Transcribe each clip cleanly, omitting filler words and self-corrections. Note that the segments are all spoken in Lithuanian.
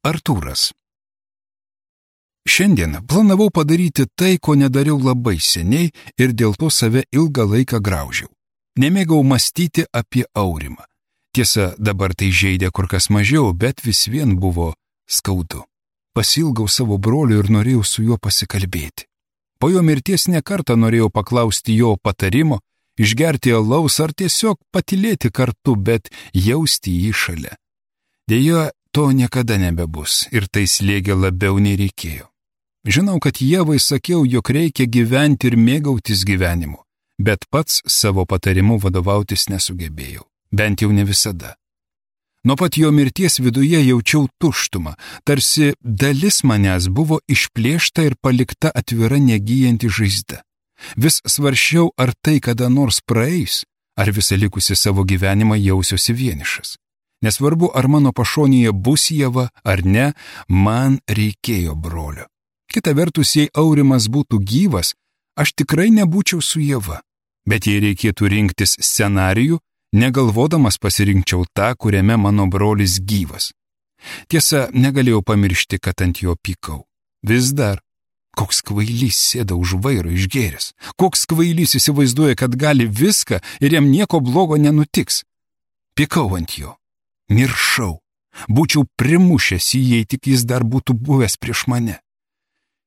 Artūras. Šiandien planavau padaryti tai, ko nedariau labai seniai ir dėl to save ilgą laiką graužiau. Nemėgau mąstyti apie Aurimą. Tiesa, dabar tai žeidė kur kas mažiau, bet vis vien buvo skaudu. Pasilgau savo broliu ir norėjau su juo pasikalbėti. Po jo mirties nekartą norėjau paklausti jo patarimo, išgerti alaus ar tiesiog patylėti kartu, bet jausti jį šalia. Deja, to niekada nebebus ir tai slėgė labiau nei reikėjo. Žinau, kad Ievai sakiau, jog reikia gyventi ir mėgautis gyvenimu, bet pats savo patarimu vadovautis nesugebėjau, bent jau ne visada. Nuo pat jo mirties viduje jaučiau tuštumą, tarsi dalis manęs buvo išplėšta ir palikta atvira negyjanti žaizda. Vis svarsčiau, ar tai kada nors praeis, ar visą likusį savo gyvenimą jausiuosi vienišas. Nesvarbu, ar mano pašonėje bus Ieva ar ne, man reikėjo brolio. Kita vertus, jei Aurimas būtų gyvas, aš tikrai nebūčiau su Ieva. Bet jei reikėtų rinktis scenarijų, negalvodamas pasirinkčiau tą, kuriame mano brolis gyvas. Tiesa, negalėjau pamiršti, kad ant jo pykau. Vis dar. Koks kvailys sėda už vairo išgėręs. Koks kvailys įsivaizduoja, kad gali viską ir jam nieko blogo nenutiks. Pykau ant jo. Niršau. Būčiau primušęs jį, jei tik jis dar būtų buvęs prieš mane.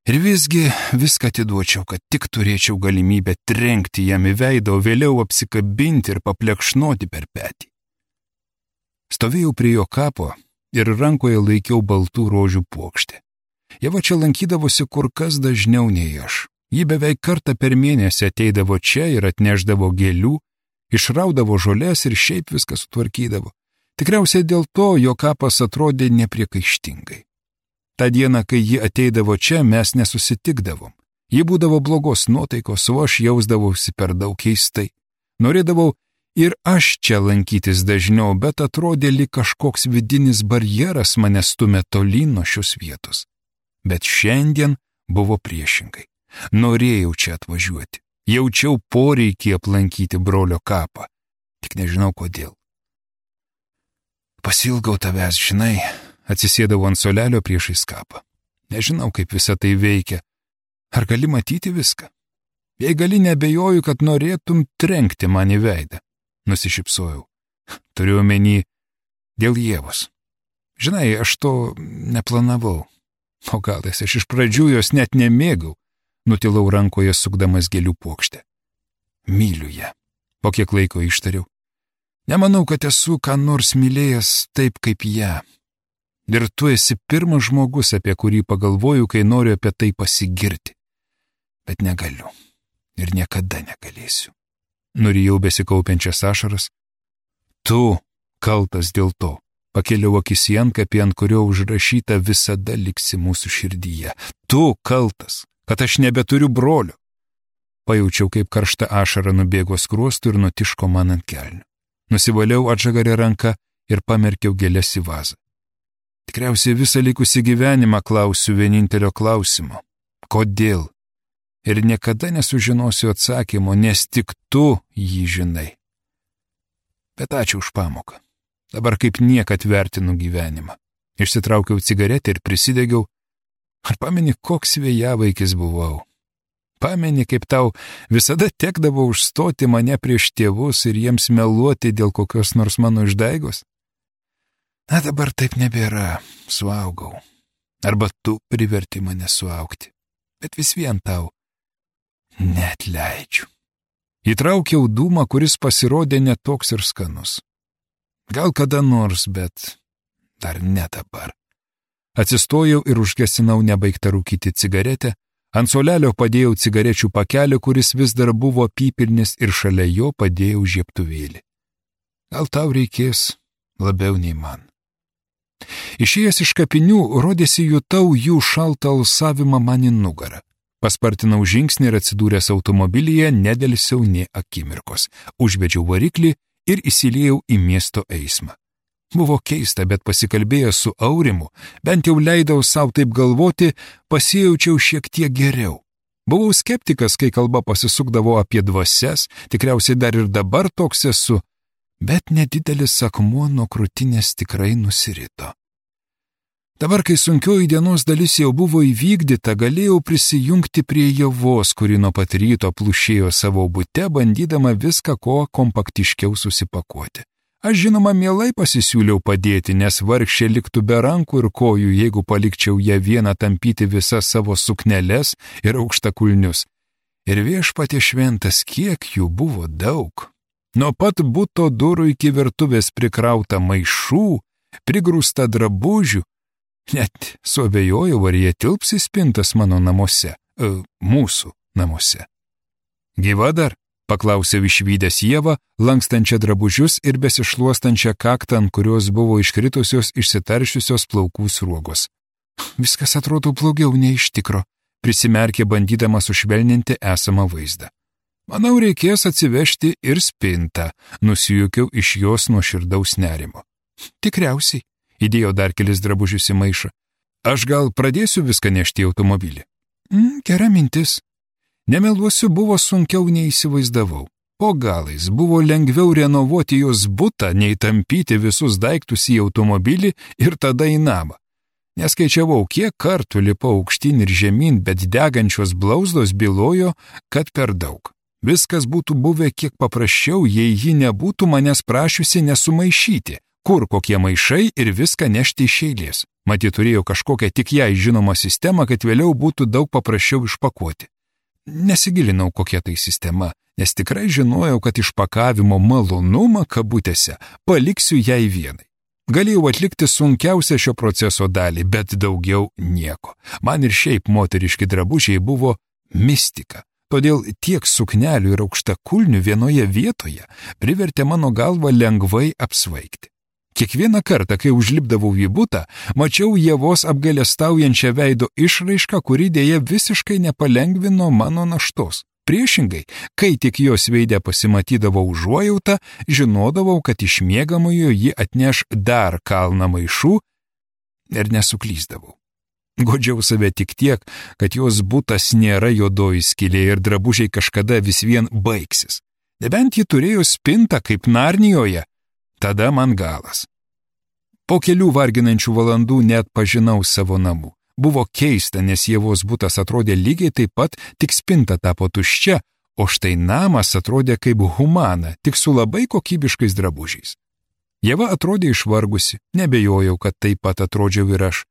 Ir visgi viską atiduočiau, kad tik turėčiau galimybę trenkti jam į veidą, o vėliau apsikabinti ir paplekšnoti per petį. Stovėjau prie jo kapo ir rankoje laikiau baltų rožių puokštę. Ieva čia lankydavosi kur kas dažniau nei aš. Ji beveik kartą per mėnesį ateidavo čia ir atneždavo gėlių, išraudavo žolės ir šiaip viską sutvarkydavo. Tikriausiai dėl to jo kapas atrodė nepriekaištingai. Ta diena, kai ji ateidavo čia, mes nesusitikdavom. Ji būdavo blogos nuotaikos, o aš jausdavausi per daug keistai. Norėdavau ir aš čia lankytis dažniau, bet atrodė lyg kažkoks vidinis barjeras mane stumė tolyn nuo šios vietos. Bet šiandien buvo priešingai. Norėjau čia atvažiuoti. Jaučiau poreikį aplankyti brolio kapą. Tik nežinau kodėl. Pasilgau tavęs, žinai, atsisėdau ant suolelio priešais kapą. Nežinau, kaip visa tai veikia. Ar gali matyti viską? Jei gali, nebejoju, kad norėtum trenkti man į veidą. Nusišypsojau. Turiu omeny dėl Ievos. Žinai, aš to neplanavau. O gal aš iš pradžių jos net nemėgau. Nutilau rankoje sukdamas gėlių puokštę. Myliu ją. Po kiek laiko ištariau. Nemanau, kad esu ką nors mylėjęs taip kaip ją. Ir tu esi pirmas žmogus, apie kurį pagalvoju, kai noriu apie tai pasigirti. Bet negaliu. Ir niekada negalėsiu. Nurijau besikaupiančias ašaras. Tu kaltas dėl to. Pakėliau akis į antkapį, ant kurio užrašyta visada liksi mūsų širdyje. Tu kaltas, kad aš nebeturiu brolio. Pajaučiau, kaip karšta ašara nubėgo skruostų ir nutiško man ant kelnių. Nusivaliau atžagarę ranką ir pamerkiau gėles į vazą. Tikriausiai visą likusį gyvenimą klausiu vienintelio klausimo. Kodėl? Ir niekada nesužinosiu atsakymo, nes tik tu jį žinai. Bet ačiū už pamoką. Dabar kaip niekad vertinu gyvenimą. Išsitraukiau cigaretę ir prisidegiau. Ar pameni, koks vėjavaikis buvau? Pameni, kaip tau visada tekdavo užstoti mane prieš tėvus ir jiems meluoti dėl kokios nors mano išdaigos? Na, dabar taip nebėra, suaugau. Arba tu priverti mane suaugti. Bet vis vien tau neatleidžiu. Įtraukiau dūmą, kuris pasirodė netoks ir skanus. Gal kada nors, bet dar ne dabar. Atsistojau ir užgesinau nebaigtą rūkyti cigaretę. Ant suolelio padėjau cigarečių pakelį, kuris vis dar buvo apypilnis, ir šalia jo padėjau žiebtuvėlį. Gal tau reikės labiau nei man. Išėjęs iš kapinių, rodėsi jutau jų šaltą alsavimą man į nugarą. Paspartinau žingsnį ir atsidūręs automobilyje nedelsiau nė akimirkos. Užvedžiau variklį ir įsiliejau į miesto eismą. Buvo keista, bet pasikalbėjęs su Aurimu, bent jau leidau savo taip galvoti, pasijaučiau šiek tiek geriau. Buvau skeptikas, kai kalba pasisukdavo apie dvasias, tikriausiai dar ir dabar toks esu, bet nedidelis akmuo nuo krūtinės tikrai nusirito. Dabar, kai sunkioji dienos dalis jau buvo įvykdyta, galėjau prisijungti prie Ievos, kuri nuo pat ryto plušėjo savo bute, bandydama viską ko kompaktiškiau susipakuoti. Aš žinoma mielai pasisiūliau padėti, nes vargšė liktų be rankų ir kojų, jeigu palikčiau ją vieną tampyti visas savo sukneles ir aukštakulnius. Ir viešpatie šventas, kiek jų buvo daug. Nuo pat buto durų iki virtuvės prikrauta maišų, prigrūsta drabužių. Net suabejojau, ar jie tilps į spintas mano namuose, mūsų namuose. Gyva dar? Paklausiau išvydęs Ievą, lankstančią drabužius ir besišluostančią kaktą, ant kurios buvo iškritusios išsitaršiusios plaukų sruogos. Viskas atrodo blogiau nei iš tikro, prisimerkė bandydama sušvelninti esamą vaizdą. Manau, reikės atsivežti ir spintą, nusijuokiau iš jos nuoširdaus nerimo. Tikriausiai, įdėjau dar kelis drabužius į maišą. Aš gal pradėsiu viską nešti į automobilį? Gera mintis. Nemeluosiu, buvo sunkiau nei įsivaizdavau. Po galais buvo lengviau renovuoti jos butą, nei tampyti visus daiktus į automobilį ir tada į namą. Neskaičiavau, kiek kartų lipau aukštyn ir žemyn, bet degančios blauzdos bylojo, kad per daug. Viskas būtų buvę kiek paprasčiau, jei ji nebūtų manęs prašiusi nesumaišyti, kur kokie maišai ir viską nešti iš eilės. Matyt, turėjo kažkokią tik jai žinomą sistemą, kad vėliau būtų daug paprasčiau išpakuoti. Nesigilinau, kokia tai sistema, nes tikrai žinojau, kad išpakavimo malonumą kabutėse paliksiu jai vienai. Galėjau atlikti sunkiausią šio proceso dalį, bet daugiau nieko. Man ir šiaip moteriški drabužiai buvo mistika. Todėl tiek suknelių ir aukštakulnių vienoje vietoje privertė mano galvą lengvai apsvaigti. Kiekvieną kartą, kai užlipdavau į butą, mačiau Ievos apgailestaujančią veido išraišką, kuri dėja visiškai nepalengvino mano naštos. Priešingai, kai tik jos veide pasimatydavo užuojauta, žinodavau, kad iš miegamojo ji atneš dar kalną maišų ir nesuklyzdavau. Godžiau save tik tiek, kad jos butas nėra juodoji skylė ir drabužiai kažkada vis vien baigsis. Nebent ji turėjo spintą kaip Narnijoje, tada man galas. Po kelių varginančių valandų net pažinau savo namų. Buvo keista, nes Ievos butas atrodė lygiai taip pat, tik spinta tapo tuščia, o štai namas atrodė kaip humana, tik su labai kokybiškais drabužiais. Ieva atrodė išvargusi, nebejojau, kad taip pat atrodžiau ir aš.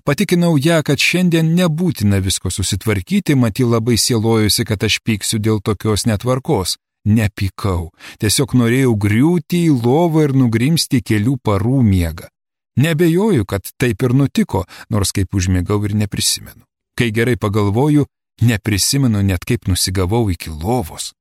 Patikinau ją, kad šiandien nebūtina visko susitvarkyti, mat ji labai sielojusi, kad aš pyksiu dėl tokios netvarkos. Nepykau, tiesiog norėjau griūti į lovą ir nugrimsti kelių parų miegą. Nebejoju, kad taip ir nutiko, nors kaip užmigau ir neprisimenu. Kai gerai pagalvoju, neprisimenu net kaip nusigavau iki lovos.